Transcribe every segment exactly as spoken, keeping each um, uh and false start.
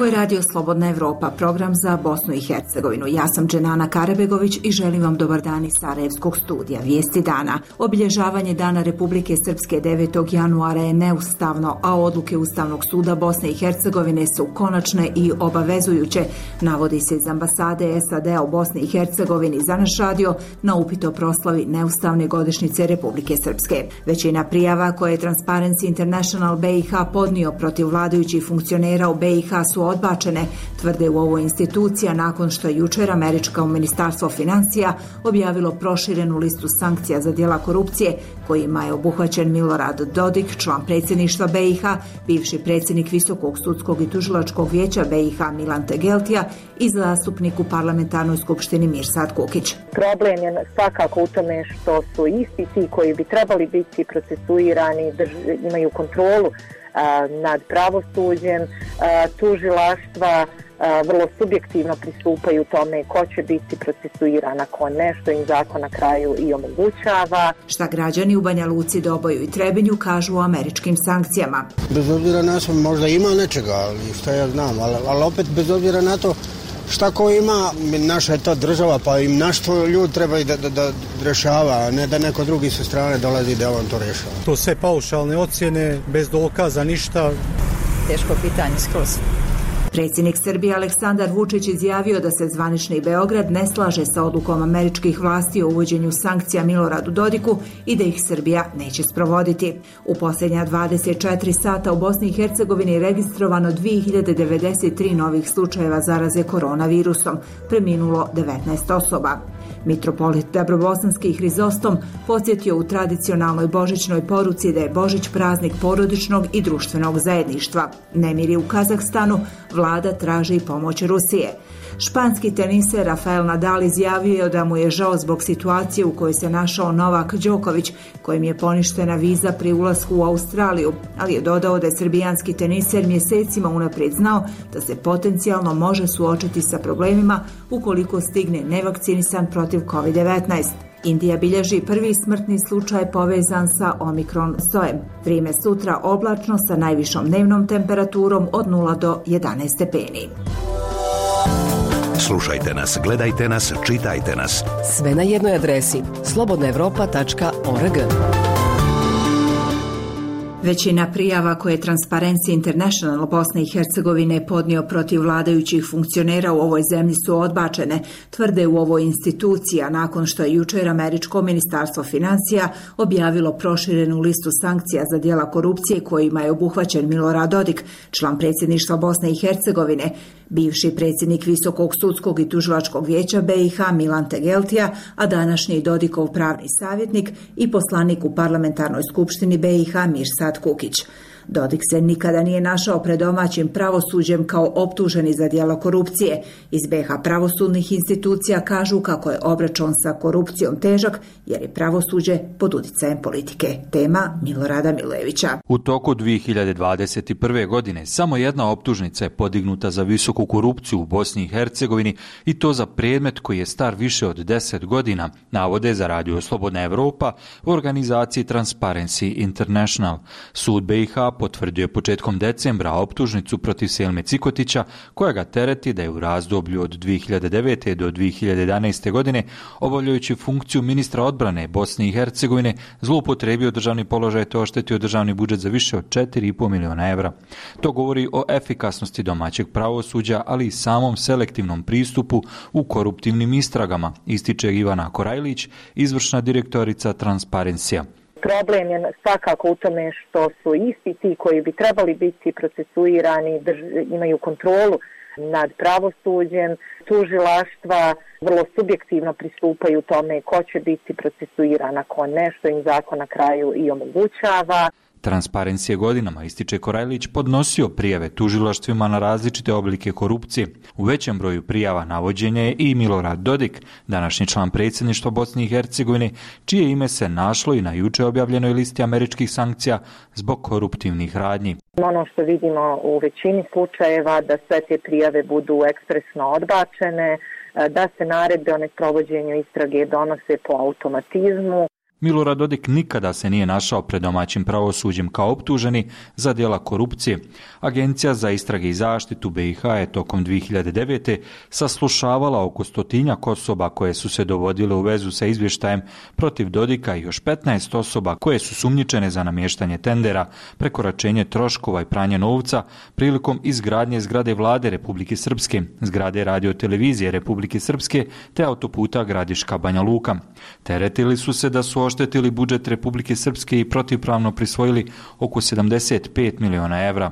Ovo je Radio Slobodna Evropa, program za Bosnu i Hercegovinu. Ja sam Dženana Karabegović i želim vam dobar dan iz Sarajevskog studija. Vijesti dana. Obilježavanje Dana Republike Srpske devetog januara je neustavno, a odluke Ustavnog suda Bosne i Hercegovine su konačne i obavezujuće, navodi se iz ambasade S A D-a u Bosni i Hercegovini za naš radio na upit o proslavi neustavne godišnjice Republike Srpske. Većina prijava koje je Transparency International B i H podnio protiv vladajućih funkcionera u B i H su odbačene, tvrde u ovoj institucija nakon što je jučer američko ministarstvo financija objavilo proširenu listu sankcija za djela korupcije kojima je obuhvaćen Milorad Dodik, član predsjedništva B i H, bivši predsjednik Visokog sudskog i tužilačkog vijeća B i H Milan Tegeltija i zastupnik u parlamentarnoj skupštini Mirsad Kukić. Problem je svakako u tome što su isti ti koji bi trebali biti procesuirani, drž, imaju kontrolu nad pravosuđem, tužilaštva vrlo subjektivno pristupaju tome ko će biti procesuiran, ako nešto im zakon na kraju i omogućava. Šta građani u Banja Luci, Doboju i Trebinju kažu o američkim sankcijama? Bez obzira na to možda ima nečega, ali šta ja znam, ali, ali opet bez obzira na to šta ko ima, naša je to država, pa im našto ljudi trebaju da, da, da rešava, a ne da neko drugi sa strane dolazi da on to rešava. To sve paušalne ocjene, bez dokaza, ništa. Teško pitanje skroz. Predsjednik Srbije Aleksandar Vučić izjavio da se zvanični Beograd ne slaže sa odlukom američkih vlasti o uvođenju sankcija Miloradu Dodiku i da ih Srbija neće sprovoditi. U posljednja dvadeset četiri sata u Bosni i Hercegovini je registrovano dvije hiljade devedeset tri novih slučajeva zaraze koronavirusom, preminulo devetnaest osoba. Mitropolit Dabrobosanski Hrizostom podsjetio u tradicionalnoj božićnoj poruci da je Božić praznik porodičnog i društvenog zajedništva. Nemiri u Kazahstanu, vlada traži pomoć Rusije. Španski teniser Rafael Nadal izjavio da mu je žao zbog situacije u kojoj se našao Novak Đoković, kojim je poništena viza pri ulasku u Australiju, ali je dodao da je srbijanski teniser mjesecima unaprijed znao da se potencijalno može suočiti sa problemima ukoliko stigne nevakcinisan protiv kovid devetnaest. Indija bilježi prvi smrtni slučaj povezan sa Omikron sojem. Vrijeme sutra oblačno sa najvišom dnevnom temperaturom od nula do jedanaest stepeni. Slušajte nas, gledajte nas, čitajte nas. Sve na jednoj adresi slobodna evropa tačka org. Većina prijava koje je Transparency International Bosne i Hercegovine podnio protiv vladajućih funkcionera u ovoj zemlji su odbačene, tvrde u ovoj instituciji, a nakon što je jučer američko ministarstvo financija objavilo proširenu listu sankcija za djela korupcije kojima je obuhvaćen Milorad Dodik, član predsjedništva Bosne i Hercegovine, bivši predsjednik Visokog sudskog i tužilačkog vijeća B i H Milan Tegeltija, a današnji Dodikov pravni savjetnik i poslanik u parlamentarnoj skupštini B i H Mirsad Kukić. Dodik se nikada nije našao pred domaćim pravosuđem kao optuženi za djelo korupcije. Iz B H pravosudnih institucija kažu kako je obračun sa korupcijom težak jer je pravosuđe pod utjecajem politike. Tema Milorada Milojevića. U toku dvije hiljade dvadeset prve. godine samo jedna optužnica je podignuta za visoku korupciju u Bosni i Hercegovini i to za predmet koji je star više od deset godina, navode za Radio Slobodna Evropa u organizaciji Transparency International. Sud B i H potvrdio je početkom decembra optužnicu protiv Selme Cikotića, koja ga tereti da je u razdoblju od dvije hiljade devete. do dvije hiljade jedanaeste. godine, obavljajući funkciju ministra odbrane Bosne i Hercegovine, zloupotrijebio državni položaj te oštetio državni budžet za više od četiri i pol miliona evra. To govori o efikasnosti domaćeg pravosuđa, ali i samom selektivnom pristupu u koruptivnim istragama, ističe Ivana Korajlić, izvršna direktorica Transparencija. Problem je svakako u tome što su isti ti koji bi trebali biti procesuirani, drž, imaju kontrolu nad pravosuđem, tužilaštva vrlo subjektivno pristupaju tome ko će biti procesuiran, ako nešto im zakon na kraju i omogućava. Transparency je godinama, ističe Korajlić, podnosio prijave tužilaštvima na različite oblike korupcije. U većem broju prijava navođen je i Milorad Dodik, današnji član predsjedništva Bosne i Hercegovine, čije ime se našlo i na juče objavljenoj listi američkih sankcija zbog koruptivnih radnji. Ono što vidimo u većini slučajeva da sve te prijave budu ekspresno odbačene, da se naredbe o nesprovođenju istrage donose po automatizmu. Milorad Dodik nikada se nije našao pred domaćim pravosuđem kao optuženi za djela korupcije. Agencija za istrage i zaštitu B i H je tokom dvije hiljade devete. saslušavala oko stotinjak osoba koje su se dovodile u vezu sa izvještajem protiv Dodika i još petnaest osoba koje su sumnjičene za namještanje tendera, prekoračenje troškova i pranje novca prilikom izgradnje zgrade Vlade Republike Srpske, zgrade radiotelevizije Republike Srpske te autoputa Gradiška Banja Luka. Teretili su se da su oštetili budžet Republike Srpske i protivpravno prisvojili oko sedamdeset pet miliona evra.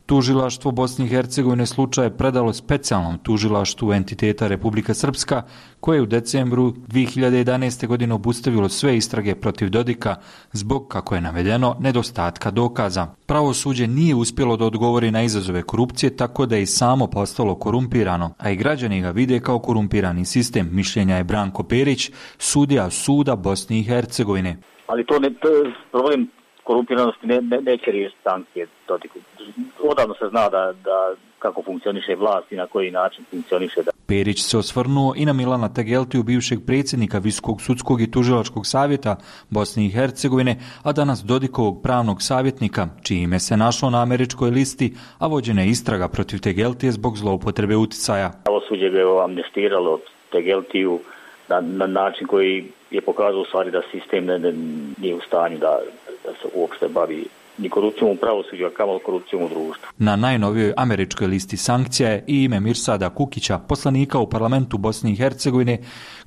Tužilaštvo Bosne i Hercegovine slučaj je predalo specijalnom tužilaštvu entiteta Republika Srpska, koje je u decembru dvije hiljade jedanaeste. godine obustavilo sve istrage protiv Dodika zbog, kako je navedeno, nedostatka dokaza. Pravosuđe nije uspjelo da odgovori na izazove korupcije, tako da je i samo postalo korumpirano, a i građani ga vide kao korumpirani sistem, mišljenja je Branko Perić, sudija suda Bosne i Hercegovine. Ali to ne to je problem korumpiranosti ne, ne, neće riješiti sankcije Dodiku. Odavno se zna da, da kako funkcioniše vlast i na koji način funkcioniše. Da. Perić se osvrnuo i na Milana Tegeltiju, bivšeg predsjednika Visokog sudskog i tužilačkog savjeta Bosne i Hercegovine, a danas Dodikovog pravnog savjetnika, čije ime se našlo na američkoj listi, a vođena je istraga protiv Tegeltije zbog zloupotrebe uticaja. Pravosuđe ga je amnestiralo Tegeltiju na, na način koji je pokazao u stvari da sistem ne, ne, nije u stanju da, da se uopšte bavi ni korupcijom u pravosuđu, a kamoli korupcijom u društvu. Na najnovijoj američkoj listi sankcija je i ime Mirsada Kukića, poslanika u parlamentu Bosne i Hercegovine,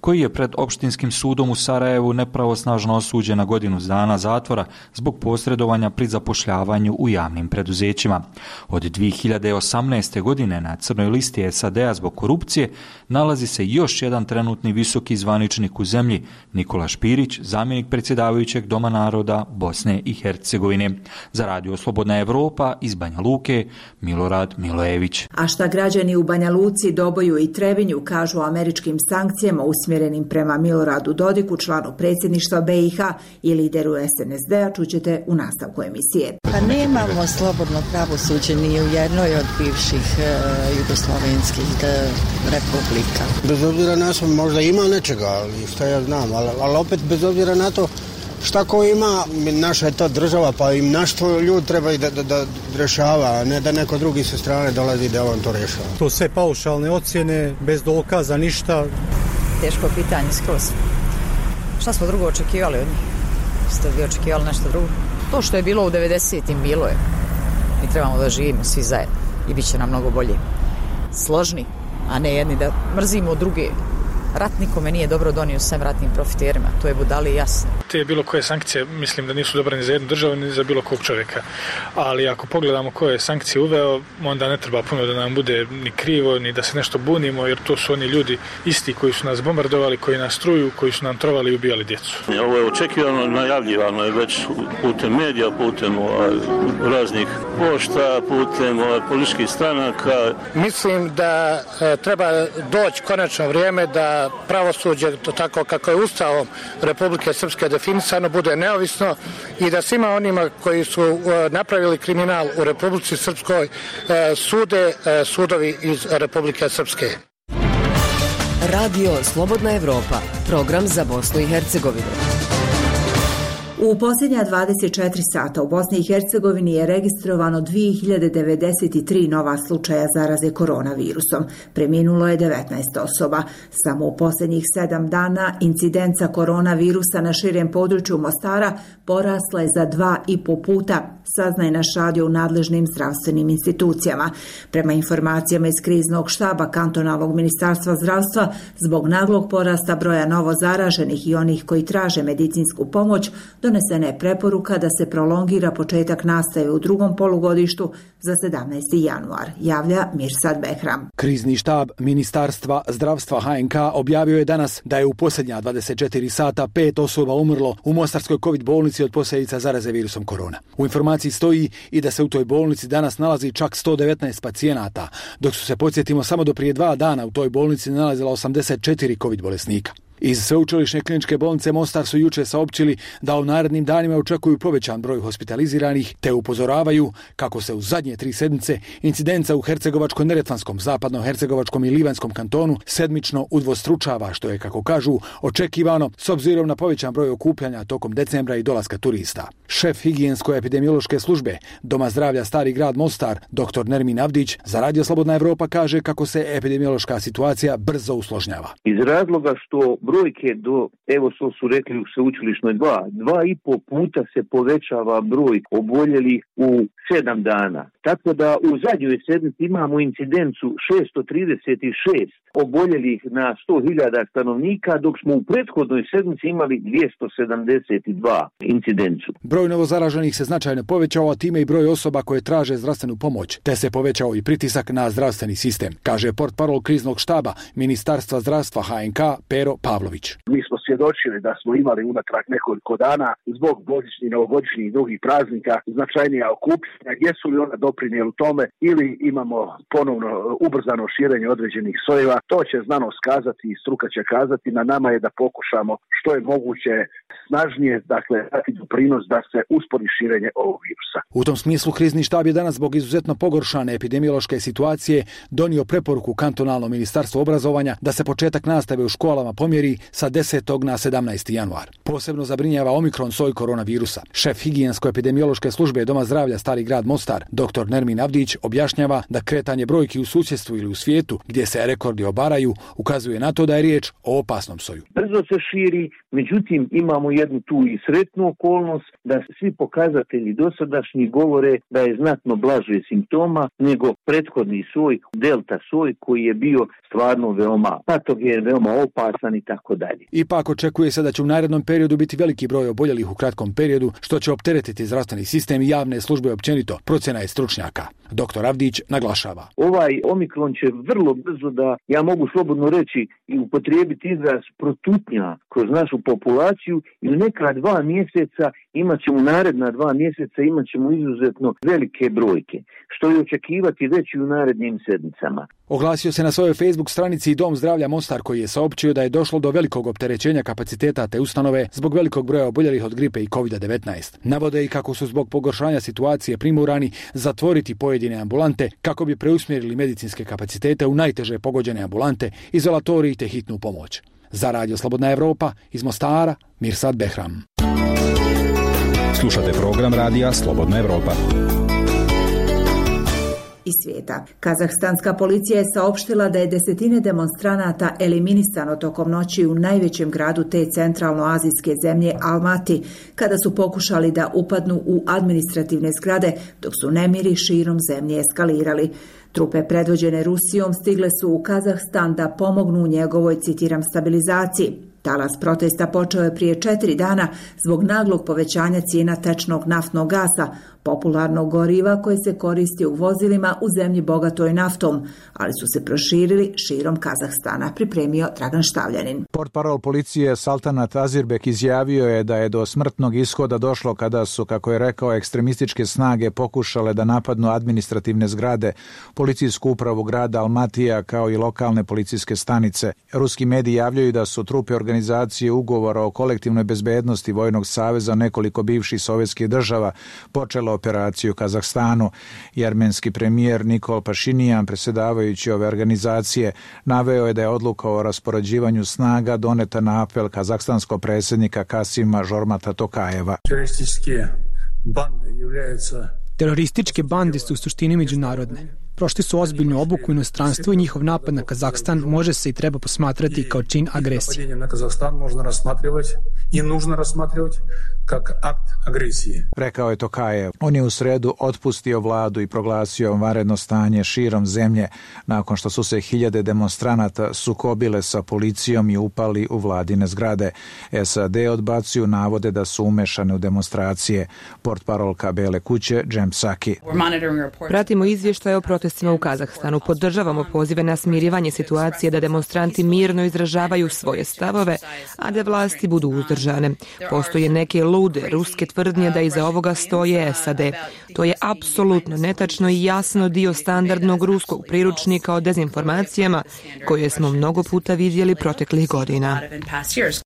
koji je pred opštinskim sudom u Sarajevu nepravosnažno osuđen na godinu dana zatvora zbog posredovanja pri zapošljavanju u javnim preduzećima. Od dvije hiljade osamnaeste. godine na crnoj listi S A D-a zbog korupcije nalazi se još jedan trenutni visoki zvaničnik u zemlji, Nikola Špirić, zamjenik predsjedavajućeg Doma naroda Bosne i Hercegovine. Za Radio Slobodna Evropa iz Banja Luke, Milorad Milojević. A šta građani u Banja Luci, Doboju i Trebinju kažu o američkim sankcijama usmjerenim prema Miloradu Dodiku, članu predsjedništva B i H i lideru S N S D-a, čućete u nastavku emisije. Pa nemamo slobodno pravosuđe ni u jednoj od bivših e, jugoslovenskih e, republika. Bez obzira na to možda ima nečega, ali šta ja znam, ali, ali opet bez obzira na to šta ko ima, naša je to država, pa im našto ljudi trebaju da, da, da rješava, a ne da neko drugi sa strane dolazi da on to rješava. To sve paušalne ocjene, bez dokaza, ništa. Teško pitanje skroz. Šta smo drugo očekivali od njih? Ste vi očekivali nešto drugo? To što je bilo u devedesetim bilo je. Mi trebamo da živimo svi zajedno i bit će nam mnogo bolje. Složni, a ne jedni da mrzimo druge. Rat nikome nije dobro donio sem ratnim profiterima, to je budali jasno. Te bilo koje sankcije mislim da nisu dobre ni za jednu državu ni za bilo kog čovjeka, ali ako pogledamo koje je sankcije uveo, onda ne treba puno da nam bude ni krivo, ni da se nešto bunimo, jer to su oni ljudi isti koji su nas bombardovali, koji nas truju, koji su nam trovali i ubijali djecu. Ovo je očekivano, najavljivano je već putem medija, putem raznih pošta, putem političkih stranaka. Mislim da e, treba doći konačno vrijeme da pravosuđe, to tako kako je Ustavom Republike Srpske definisano, bude neovisno i da svima onima koji su napravili kriminal u Republici Srpskoj sude sudovi iz Republike Srpske. Radio Slobodna Evropa, program za Bosnu i Hercegovinu. U posljednja dvadeset četiri sata u Bosni i Hercegovini je registrovano dvije hiljade devedeset tri nova slučaja zaraze koronavirusom. Preminulo je devetnaest osoba. Samo u posljednjih sedam dana incidenca koronavirusa na širem području Mostara porasla je za dva i po puta, saznaje naš radio u nadležnim zdravstvenim institucijama. Prema informacijama iz kriznog štaba kantonalnog ministarstva zdravstva, zbog naglog porasta broja novo zaraženih i onih koji traže medicinsku pomoć, donesena je preporuka da se prolongira početak nastave u drugom polugodištu za sedamnaesti januar, javlja Mirsad Behram. Krizni štab Ministarstva zdravstva H N K objavio je danas da je u posljednja dvadeset četiri sata pet osoba umrlo u Mostarskoj COVID bolnici od posljedica zaraze virusom korona. U informaciji stoji i da se u toj bolnici danas nalazi čak sto devetnaest pacijenata, dok su se, podsjetimo, samo do prije dva dana u toj bolnici nalazila osamdeset četiri COVID bolesnika. Iz Sveučilišne kliničke bolnice Mostar su juče saopćili da u narednim danima očekuju povećan broj hospitaliziranih, te upozoravaju kako se u zadnje tri sedmice incidenca u Hercegovačko-neretvanskom, Zapadno-hercegovačkom i Livanjskom kantonu sedmično udvostručava, što je, kako kažu, očekivano s obzirom na povećan broj okupljanja tokom decembra i dolaska turista. Šef higijensko-epidemiološke službe Doma zdravlja Stari grad Mostar, doktor Nermin Avdić, za Radio Slobodna Evropa kaže kako se epidemiološka situacija brzo usložnjava. Iz razloga što brojke do, evo što su rekli u sveučilišnoj dva, dva i po puta se povećava broj oboljelih u sedam dana. Tako da u zadnjoj sedmici imamo incidencu šesto trideset šest oboljelih na sto hiljada stanovnika, dok smo u prethodnoj sedmici imali dvjesto sedamdeset dva incidencu. Broj novozaraženih se značajno povećao, a time i broj osoba koje traže zdravstvenu pomoć, te se povećao i pritisak na zdravstveni sistem, kaže portparol kriznog štaba Ministarstva zdravstva H N K Pero Pavlović. Mi smo svjedočili da smo imali unatrag nekoliko dana zbog božićnih, novogodišnjih i drugih praznika značajnija okupljanja. Jesu li ona doprinijeli tome ili imamo ponovno ubrzano širenje određenih sojeva? To će znanost kazati i struka će kazati. Na nama je da pokušamo što je moguće snažnije, dakle, dati doprinos da se uspori širenje ovog virusa. U tom smislu krizni štab je danas zbog izuzetno pogoršane epidemiološke situacije donio preporuku kantonalnom ministarstvu obrazovanja da se početak nastave u školama pomjeri sa desetog na sedamnaesti januar. Posebno zabrinjava omikron soj koronavirusa. Šef higijensko-epidemiološke službe Doma zdravlja Stari grad Mostar, doktor Nermin Avdić, objašnjava da kretanje brojki u susjedstvu ili u svijetu, gdje se rekordi obaraju, ukazuje na to da je riječ o opasnom soju. Brzo se širi, međutim imamo jednu tu i sretnu okolnost da svi pokazatelji dosadašnji govore da je znatno blaže simptoma nego prethodni soj, delta soj, koji je bio stvarno veoma patogen, veoma opasan i tako dalje. Ipak očekuje se da će u narednom periodu biti veliki broj oboljelih u kratkom periodu, što će opteretiti zdravstveni sistem i javne službe općenito, procjena je stručnjaka. Doktor Avdić naglašava. Ovaj omikron će vrlo brzo, da ja mogu slobodno reći i upotrijebiti izraz, protutnja kroz našu populaciju i u neka dva mjeseca imat ćemo, naredna dva mjeseca imat ćemo izuzetno velike brojke, što je očekivati već i u narednim sedmicama. Oglasio se na svojoj Facebook stranici i Dom zdravlja Mostar, koji je saopćio da je došlo do velikog opterećenja kapaciteta te ustanove zbog velikog broja oboljelih od gripe i kovid devetnaest. Navode i kako su zbog pogoršanja situacije primorani zatvoriti pojedine ambulante kako bi preusmjerili medicinske kapacitete u najteže pogođene ambulante, izolatoriji te hitnu pomoć. Za Radio Slobodna Evropa iz Mostara, Mirsad Behram. Slušate program Radija Slobodna Evropa. Iz svijeta. Kazahstanska policija je saopštila da je desetine demonstranata eliminisano tokom noći u najvećem gradu te centralnoazijske zemlje Almati, kada su pokušali da upadnu u administrativne zgrade, dok su nemiri širom zemlje eskalirali. Trupe predvođene Rusijom stigle su u Kazahstan da pomognu u njegovoj, citiram, stabilizaciji. Talas protesta počeo je prije četiri dana zbog naglog povećanja cijena tečnog naftnog gasa, popularnog goriva koje se koristi u vozilima u zemlji bogatoj naftom, ali su se proširili širom Kazahstana, pripremio Dragan Štavljanin. Portparol policije Saltanat Azirbek izjavio je da je do smrtnog ishoda došlo kada su, kako je rekao, ekstremističke snage pokušale da napadnu administrativne zgrade, policijsku upravu grada Almatija kao i lokalne policijske stanice. Ruski mediji javljaju da su trupe organizacije ugovora o kolektivnoj bezbednosti Vojnog saveza nekoliko bivših sovjetskih država počelo operaciju u Kazahstanu. Armenski premijer Nikol Pašinijan, predsjedavajući ove organizacije, naveo je da je odluka o raspoređivanju snaga doneta na apel kazahstanskog predsjednika Kasima Žormata Tokajeva. Terorističke bande su u suštini međunarodne. Prošli su ozbiljnu obuku u inostranstvu i njihov napad na Kazahstan može se i treba posmatrati kao čin agresije. Na Kazahstan možda razmatrivati i nužno razmatrivati kao akt agresije, rekao je Tokajev. On je u sredu otpustio vladu i proglasio vanredno stanje širom zemlje nakon što su se hiljade demonstranata sukobile sa policijom i upali u vladine zgrade. S A D odbacuju navode da su umešane u demonstracije. Portparolka Bele kuće Jem Psaki. Pratimo izvještaje o protestu protestima u Kazahstanu. Podržavamo pozive na smirivanje situacije da demonstranti mirno izražavaju svoje stavove, a da vlasti budu uzdržane. Postoje neke lude ruske tvrdnje da iza ovoga stoje S A D. To je apsolutno netačno i jasno dio standardnog ruskog priručnika o dezinformacijama koje smo mnogo puta vidjeli proteklih godina.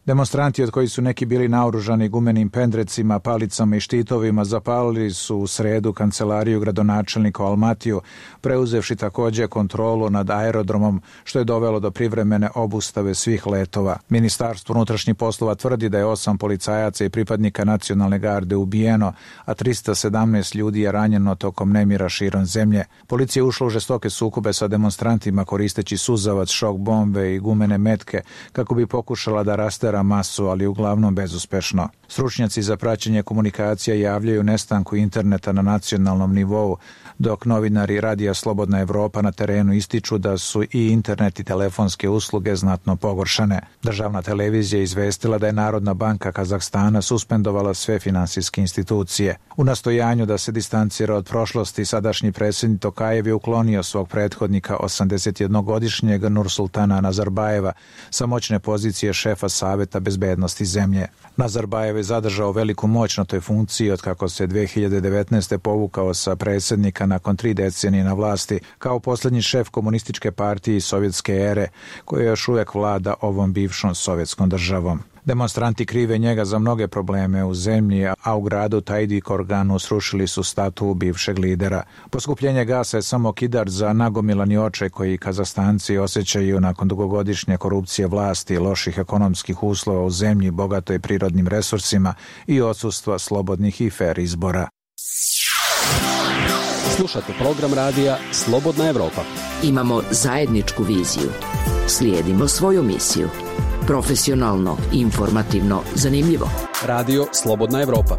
Demonstranti, od kojih su neki bili naoružani gumenim pendrecima, palicama i štitovima, zapalili su u sredu kancelariju gradonačelnika u Almatiju, preuzevši također kontrolu nad aerodromom, što je dovelo do privremene obustave svih letova. Ministarstvo unutrašnjih poslova tvrdi da je osam policajaca i pripadnika nacionalne garde ubijeno, a trista sedamnaest ljudi je ranjeno tokom nemira širom zemlje. Policija je ušla u žestoke sukobe sa demonstrantima koristeći suzavac, šok bombe i gumene metke kako bi pokušala da rastera masu, ali uglavnom bezuspešno. Stručnjaci za praćenje komunikacija javljaju nestanku interneta na nacionalnom nivou, dok novinari Radija Slobodna Evropa na terenu ističu da su i internet i telefonske usluge znatno pogoršane. Državna televizija je izvestila da je Narodna banka Kazahstana suspendovala sve finansijske institucije. U nastojanju da se distancira od prošlosti, sadašnji predsjednik Tokajev je uklonio svog prethodnika osamdesetjednogodišnjeg Nursultana Nazarbajeva sa moćne pozicije šefa Saveta bezbednosti zemlje. Nazarbajev je zadržao veliku moć na toj funkciji od kako se dve hiljade devetnaeste povukao sa predsjednika nakon tri decenije na vlasti kao posljednji šef komunističke partije iz sovjetske ere koja još uvijek vlada ovom bivšom sovjetskom državom. Demonstranti krive njega za mnoge probleme u zemlji, a u gradu Tajdi Korganu srušili su statu bivšeg lidera. Poskupljenje gasa je samo kidar za nagomilani očaj koji Kazahstanci osjećaju nakon dugogodišnje korupcije vlasti, loših ekonomskih uslova u zemlji bogatoj prirodnim resursima i odsustva slobodnih i fer izbora. Slušate program radija Slobodna Evropa. Imamo zajedničku viziju. Slijedimo svoju misiju. Profesionalno, informativno, zanimljivo. Radio Slobodna Evropa.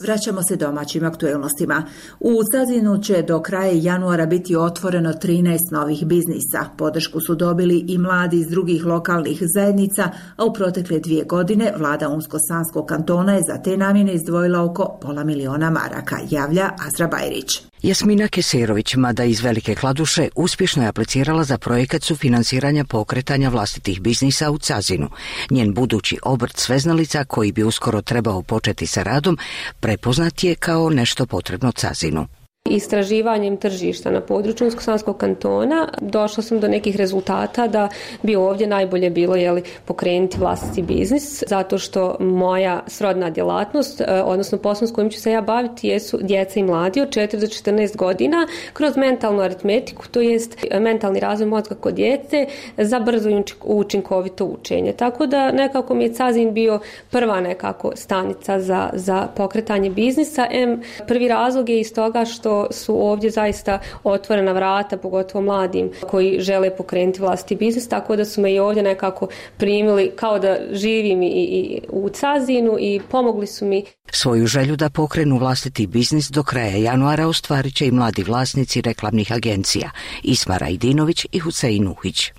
Vraćamo se domaćim aktuelnostima. U Cazinu će do kraja januara biti otvoreno trinaest novih biznisa. Podršku su dobili i mladi iz drugih lokalnih zajednica, a u protekle dvije godine vlada Unsko-Sanskog kantona je za te namjene izdvojila oko pola miliona maraka, javlja Azra Bajrić. Jasmina Keserović, mada iz Velike Kladuše, uspješno je aplicirala za projekat sufinansiranja pokretanja vlastitih biznisa u Cazinu. Njen budući obrt sveznalica, koji bi uskoro trebao početi sa radom, prepoznat je kao nešto potrebno Cazinu. Istraživanjem tržišta na području Unsko-Sanskog kantona došla sam do nekih rezultata da bi ovdje najbolje bilo jeli, pokrenuti vlastiti biznis, zato što moja srodna djelatnost, odnosno posao s kojim ću se ja baviti, jesu djeca i mladi od četiri do četrnaest godina kroz mentalnu aritmetiku, to jest mentalni razvoj mozga kod djece za brzo i učinkovito učenje. Tako da nekako mi je Cazin bio prva nekako stanica za, za pokretanje biznisa. M, prvi razlog je iz toga što su ovdje zaista otvorena vrata, pogotovo mladim koji žele pokrenuti vlastiti biznis, tako da su me i ovdje nekako primili kao da živim i, i u Cazinu i pomogli su mi. Svoju želju da pokrenu vlastiti biznis do kraja januara ostvarit će i mladi vlasnici reklamnih agencija Isma Rajdinović i Husein Uhić.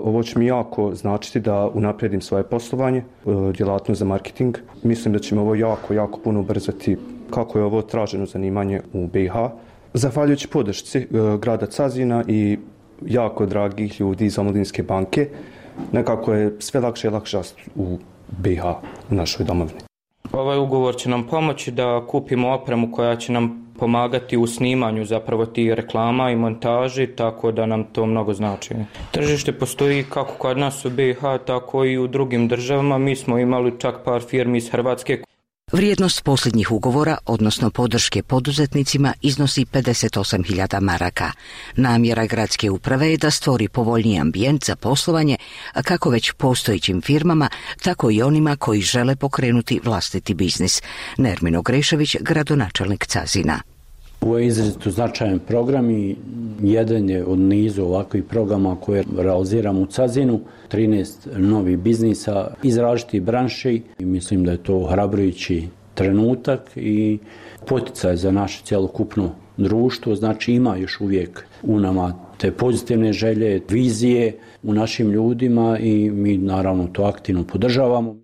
Ovo će mi jako značiti da unaprijedim svoje poslovanje, djelatnost za marketing. Mislim da će me ovo jako, jako puno ubrzati kako je ovo traženo zanimanje u B i H. Zahvaljujući podršci grada Cazina i jako dragih ljudi iz Omladinske banke, nekako je sve lakše i lakše u B i H, u našoj domovini. Ovaj ugovor će nam pomoći da kupimo opremu koja će nam pomagati u snimanju zapravo tih reklama i montaži, tako da nam to mnogo znači. Tržište postoji kako kod nas u B i H, tako i u drugim državama. Mi smo imali čak par firmi iz Hrvatske. Vrijednost posljednjih ugovora, odnosno podrške poduzetnicima, iznosi pedeset osam hiljada maraka. Namjera gradske uprave je da stvori povoljniji ambijent za poslovanje, kako već postojećim firmama, tako i onima koji žele pokrenuti vlastiti biznis. Nermin Grešević, gradonačelnik Cazina. Ovo je izrazito značajan program i jedan je od nizu ovakvih programa koje realiziramo u Cazinu. trinaest novih biznisa iz različitih branši i mislim da je to ohrabrujući trenutak i poticaj za naše cjelokupno društvo. Znači ima još uvijek u nama te pozitivne želje, vizije u našim ljudima i mi naravno to aktivno podržavamo.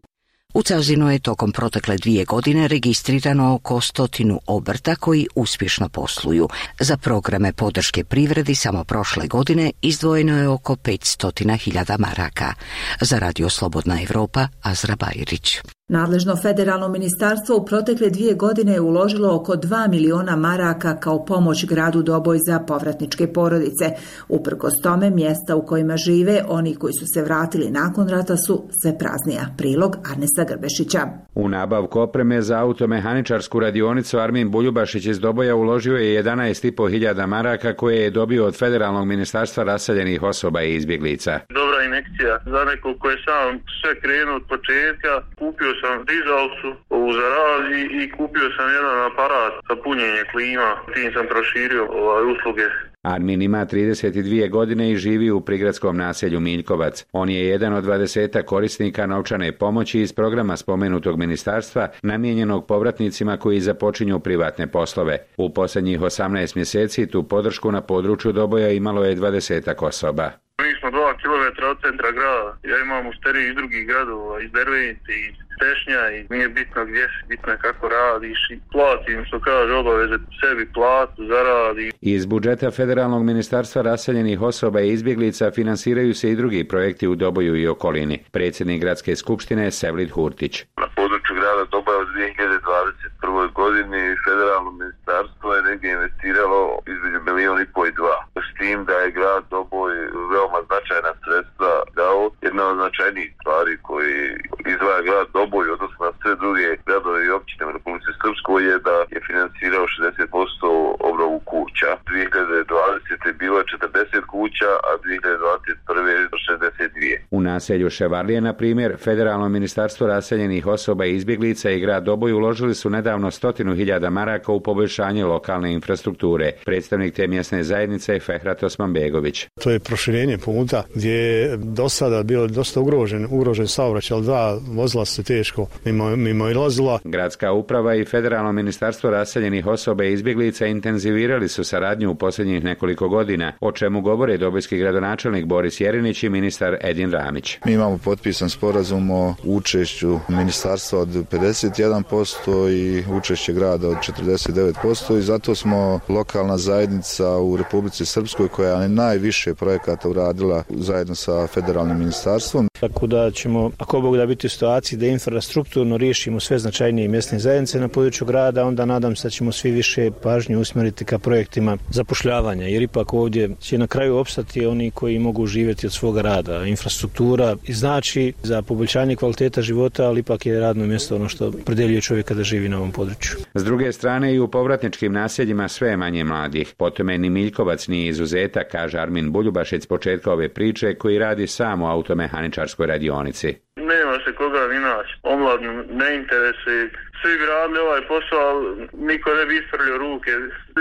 U Cazinu je tokom protekle dvije godine registrirano oko stotinu obrta koji uspješno posluju. Za programe podrške privredi samo prošle godine izdvojeno je oko petsto hiljada maraka. Za Radio Slobodna Evropa, Azra Bajrić. Nadležno federalno ministarstvo u protekle dvije godine je uložilo oko dva miliona maraka kao pomoć gradu Doboj za povratničke porodice. Uprkos tome, mjesta u kojima žive oni koji su se vratili nakon rata su sve praznija. Prilog Arnesa Grbešića. U nabavku opreme za automehaničarsku radionicu Armin Buljubašić iz Doboja uložio je jedanaest i po hiljada maraka koje je dobio od federalnog ministarstva raseljenih osoba i izbjeglica. Dobra injekcija za nekog koji je sam sve krenuo od početka. Kupio sam dizalcu ovu za rad i, i kupio sam jedan aparat za punjenje klima. Tim sam proširio ovaj usluge. Armin ima trideset dvije godine i živi u prigradskom naselju Miljkovac. On je jedan od dvadesetak korisnika novčane pomoći iz programa spomenutog ministarstva namijenjenog povratnicima koji započinju privatne poslove. U posljednjih osamnaest mjeseci tu podršku na području Doboja imalo je dvadesetak osoba. Mi smo dva kilometra od centra grada. Ja imam usteriju iz drugih gradova, iz Dervenice, iz Tešnja i nije bitno gdje si, bitno je kako radiš i platim, što kaže, obaveze sebi platu, zaradi. Iz budžeta Federalnog ministarstva raseljenih osoba i izbjeglica finansiraju se i drugi projekti u Doboju i okolini. Predsjednik gradske skupštine Sevlid Hurtić. Na području grada Doboja u dvije hiljade dvadeset prvoj godini Federalno ministarstvo je negdje investiralo između milijon i po i dva. S tim da je grad Doboj veoma značajna sredstva dao. Jedna od značajnijih stvari koji izdvaja grad Doboj, odnosno na sve druge gradove i općine u Republici Srpskoj, je da je finansirao šezdeset posto obnovu kuća. dvije hiljade dvadesete bilo je četrdeset kuća, a dvije hiljade dvadeset prve šezdeset dvije. U naselju Ševarlije, na primjer, Federalno ministarstvo raseljenih osoba i izbjeglica i grad Doboj uložili su nedavno stotinu hiljada maraka u poboljšanje lokalne infrastrukture. Predstavnik te mjesne zajednice je Fehrat Osmanbegović. To je proširenje puta gdje je do sada bilo dosta ugrožen, ugrožen saobraćaj, ali dva vozila se teško mimo, mimo ilazila. Gradska uprava i Federalno ministarstvo raseljenih osoba i izbjeglica intenzivirali su saradnju u posljednjih nekoliko godina, o čemu govore dobojski gradonačelnik Boris Jerinić i ministar Edin Ramić. Mi imamo potpisan sporazum o učešću ministarstva od pedeset jedan posto i učešće grada od četrdeset devet posto i zato smo lokalna zajednica u Republici Srpskoj koja je najviše projekata uradila zajedno sa federalnim ministarstvom. Tako da ćemo, ako Bog da, biti u situaciji da infrastrukturno riješimo sve značajnije mjesne zajednice na području grada, onda nadam se da ćemo svi više pažnje usmjeriti ka projektima zapošljavanja, jer ipak ovdje će na kraju opstati oni koji mogu živjeti od svoga rada. Infrastruktura znači za poboljšanje kvaliteta života, ali ipak je radno mjesto ono što predeljuje čovjeka da živi na ovom području. S druge strane, i u povratničkim naseljima sve manje mladih. Po tome ni Miljkovac nije izuzetak, kaže Armin Buljubašić s početka ove priče, koji radi sam u automehaničarskoj radionici. Nema se koga ni naći. Omladno ne interesuje. Svi bi radili ovaj posao, ali niko ne bi isprljio ruke.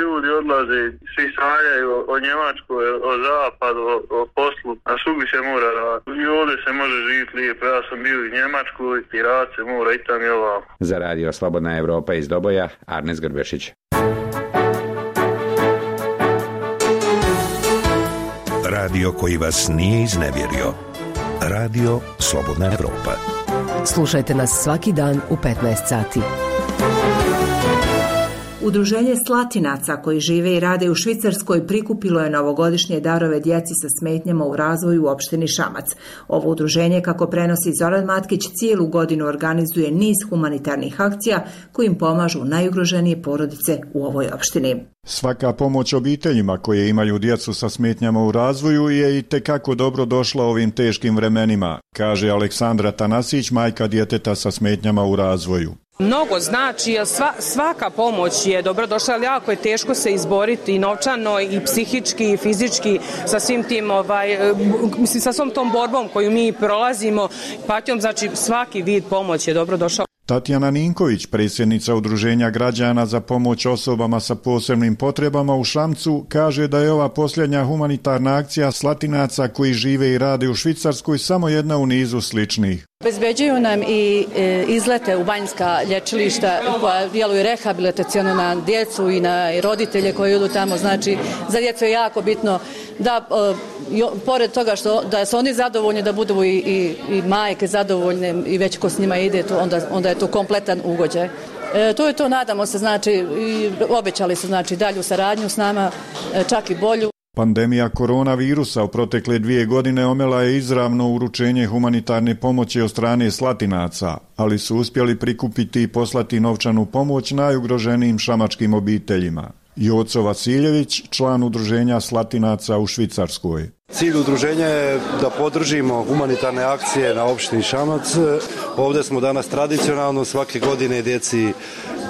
Ljudi odlaze, svi sanjaju o, o Njemačkoj, o zapadu, o, o poslu. A svugdje se mora raditi. I ovdje se može živjeti lijepo. Ja sam bio u Njemačkoj i rad se mora i tam i ovako. Za Radio Slobodna Evropa iz Doboja, Arnes Grbešić. Radio koji vas nije iznevjerio. Radio Slobodna Evropa. Slušajte nas svaki dan u petnaest sati. Udruženje Slatinaca koji žive i rade u Švicarskoj prikupilo je novogodišnje darove djeci sa smetnjama u razvoju u opštini Šamac. Ovo udruženje, kako prenosi Zoran Matkić, cijelu godinu organizuje niz humanitarnih akcija kojim pomažu najugroženije porodice u ovoj opštini. Svaka pomoć obiteljima koje imaju djecu sa smetnjama u razvoju je i tekako dobro došla ovim teškim vremenima, kaže Aleksandra Tanasić, majka djeteta sa smetnjama u razvoju. Mnogo znači, jer sva, svaka pomoć je dobro došla, ali jako je teško se izboriti i novčano i psihički i fizički sa svim tim, ovaj, mislim, sa svom tom borbom koju mi prolazimo, patnjom, znači svaki vid pomoć je dobro došao. Tatjana Ninković, predsjednica Udruženja građana za pomoć osobama sa posebnim potrebama u Šamcu, kaže da je ova posljednja humanitarna akcija Slatinaca koji žive i rade u Švicarskoj samo jedna u nizu sličnih. Obezbeđuju nam i e, izlete u banjska lječilišta koja djeluju rehabilitaciono na djecu i na roditelje koji idu tamo. Znači, za djecu je jako bitno da jo, pored toga što da su oni zadovoljni, da budu i, i, i majke zadovoljne i već ko s njima ide, to onda, onda je to kompletan ugođaj. E, to je to, nadamo se, znači, i obećali su, znači, dalju saradnju s nama, e, čak i bolju. Pandemija koronavirusa u protekle dvije godine omela je izravno uručenje humanitarne pomoći od strane Slatinaca, ali su uspjeli prikupiti i poslati novčanu pomoć najugroženijim šamačkim obiteljima. Joco Vasiljević, član udruženja Slatinaca u Švicarskoj. Cilj udruženja je da podržimo humanitarne akcije na opštini Šamac. Ovdje smo danas tradicionalno, svake godine djeci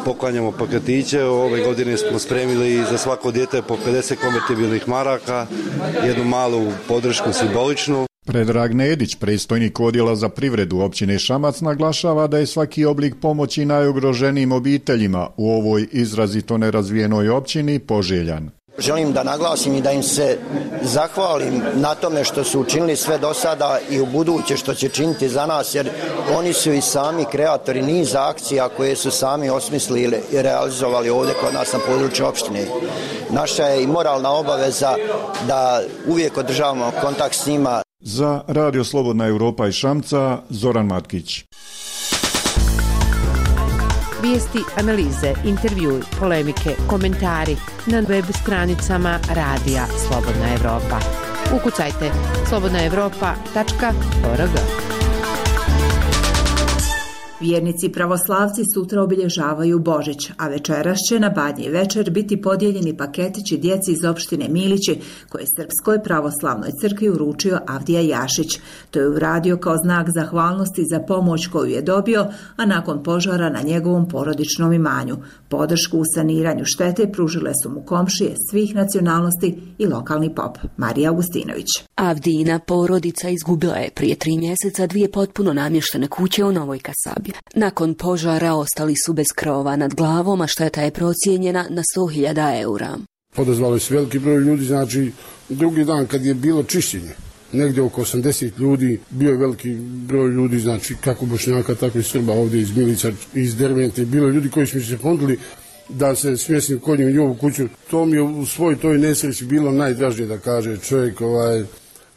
poklanjamo paketiće. Ove godine smo spremili za svako dijete po pedeset konvertibilnih maraka, jednu malu podršku simboličnu. Predrag Nedić, predstojnik odjela za privredu općine Šamac, naglašava da je svaki oblik pomoći najugroženijim obiteljima u ovoj izrazito nerazvijenoj općini poželjan. Želim da naglasim i da im se zahvalim na tome što su učinili sve do sada i u buduće što će činiti za nas, jer oni su i sami kreatori niza akcija koje su sami osmislili i realizovali ovdje kod nas na području opštine. Naša je i moralna obaveza da uvijek održavamo kontakt s njima. Za Radio Slobodna Europa iz Šamca, Zoran Matkić. Vijesti, analize, intervjui, polemike, komentari na web stranicama Radija Slobodna Evropa. Ukucajte slobodna evropa tačka org. Vjernici pravoslavci sutra obilježavaju Božić, a večeras će na Badnji večer biti podijeljeni paketići djeci iz opštine Milići, koje je Srpskoj pravoslavnoj crkvi uručio Avdija Jašić. To je uradio kao znak zahvalnosti za pomoć koju je dobio, a nakon požara na njegovom porodičnom imanju. Podršku u saniranju štete pružile su mu komšije svih nacionalnosti i lokalni pop. Marija Augustinović. Avdijina porodica izgubila je prije tri mjeseca dvije potpuno namještene kuće u Novoj Kasabi. Nakon požara ostali su bez krova nad glavom, a šteta je procijenjena na sto hiljada eura. Odazvali su veliki broj ljudi, znači drugi dan kad je bilo čišćenje, negdje oko osamdeset ljudi, bio je veliki broj ljudi, znači kako Bošnjaka, tako i Srba ovdje iz Milica, iz Dervente, bilo je ljudi koji su mi se ponudili da se smjestim kod njim u ovu kuću. To mi je u svoj toj nesreći bilo najdražnije, da kaže čovjek, ovaj,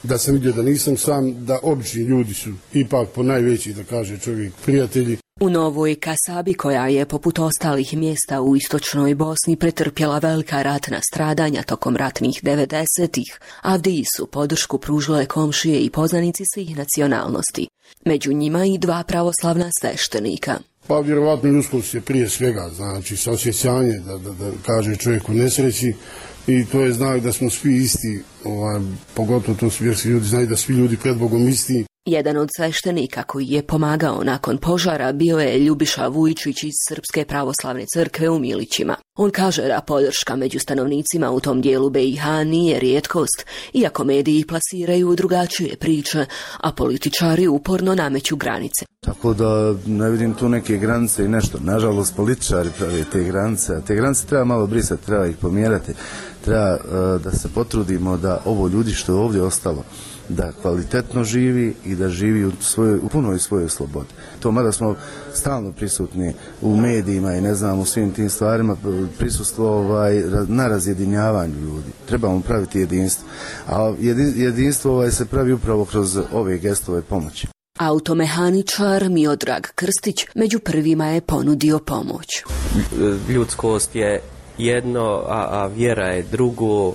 da sam vidio da nisam sam, da obični ljudi su ipak po najveći, da kaže čovjek, prijatelji. U Novoj Kasabi, koja je poput ostalih mjesta u istočnoj Bosni pretrpjela velika ratna stradanja tokom ratnih devedesetih, Avdiji su podršku pružile komšije i poznanici svih nacionalnosti. Među njima i dva pravoslavna sveštenika. Pa vjerovatno ljudskost je prije svega, znači saosjećanje, da, da, da kaže čovjek u nesreći, i to je znak da smo svi isti, ovaj, pogotovo to su vjerski ljudi, znaju da svi ljudi pred Bogom isti. Jedan od sveštenika koji je pomagao nakon požara bio je Ljubiša Vujčić iz Srpske pravoslavne crkve u Milićima. On kaže da podrška među stanovnicima u tom dijelu B i H nije rijetkost, iako mediji plasiraju drugačije priče, a političari uporno nameću granice. Tako da ne vidim tu neke granice i nešto. Nažalost, političari prave te granice, a te granice treba malo brisati, treba ih pomjerati. Treba uh, da se potrudimo da ovo ljudi što je ovdje ostalo, da kvalitetno živi i da živi u, svojoj, u punoj svojoj slobodi. To mada smo stalno prisutni u medijima i ne znam u svim tim stvarima, prisustvo ovaj, na razjedinjavanju ljudi. Trebamo praviti jedinstvo. A jedinstvo ovaj, se pravi upravo kroz ove gestove pomoći. Automehaničar Miodrag Krstić među prvima je ponudio pomoć. Ljudskost je jedno, a, a vjera je drugo.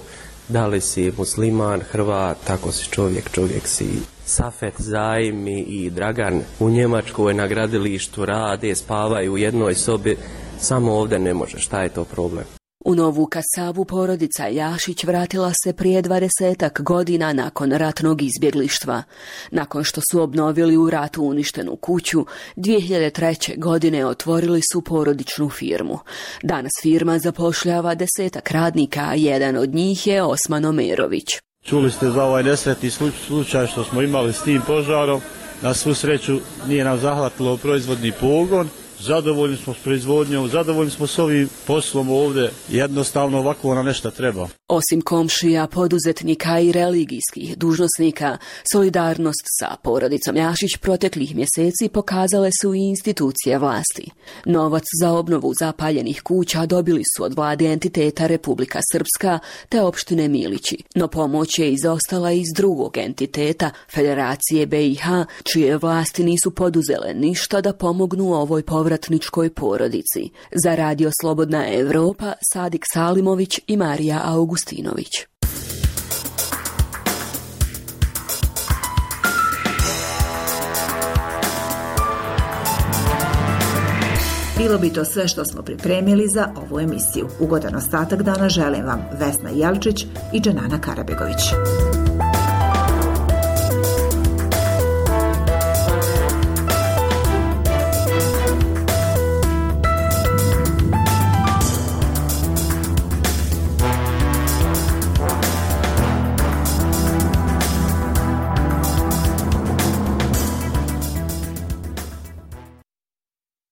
Da li si musliman, Hrvat, tako si čovjek, čovjek si. Safet, Zajmi i Dragan u Njemačkoj na gradilištu rade, spavaju u jednoj sobi, samo ovdje ne može. Šta je to problem? U Novu Kasabu porodica Jašić vratila se prije dvadesetak godina nakon ratnog izbjeglištva. Nakon što su obnovili u ratu uništenu kuću, dvije hiljade treće. godine otvorili su porodičnu firmu. Danas firma zapošljava desetak radnika, a jedan od njih je Osman Omerović. Čuli ste za ovaj nesretni slučaj što smo imali s tim požarom. Na svu sreću nije nam zahvatilo proizvodni pogon zadovoljni smo s proizvodnjom, zadovoljni smo s ovim poslom ovdje, jednostavno ovako nam nešto treba. Osim komšija, poduzetnika i religijskih dužnosnika, solidarnost sa porodicom Jašić proteklih mjeseci pokazale su i institucije vlasti. Novac za obnovu zapaljenih kuća dobili su od vlade entiteta Republika Srpska te opštine Milići, no pomoć je izostala iz drugog entiteta, Federacije B i H, čije vlasti nisu poduzele ništa da pomognu ovoj povratničkoj porodici. Za Radio Slobodna Evropa, Sadik Salimović i Marija Augustinović. Bilo bi to sve što smo pripremili za ovu emisiju. Ugodan ostatak dana želim vam Vesna Jelčić i Dženana Karabegović.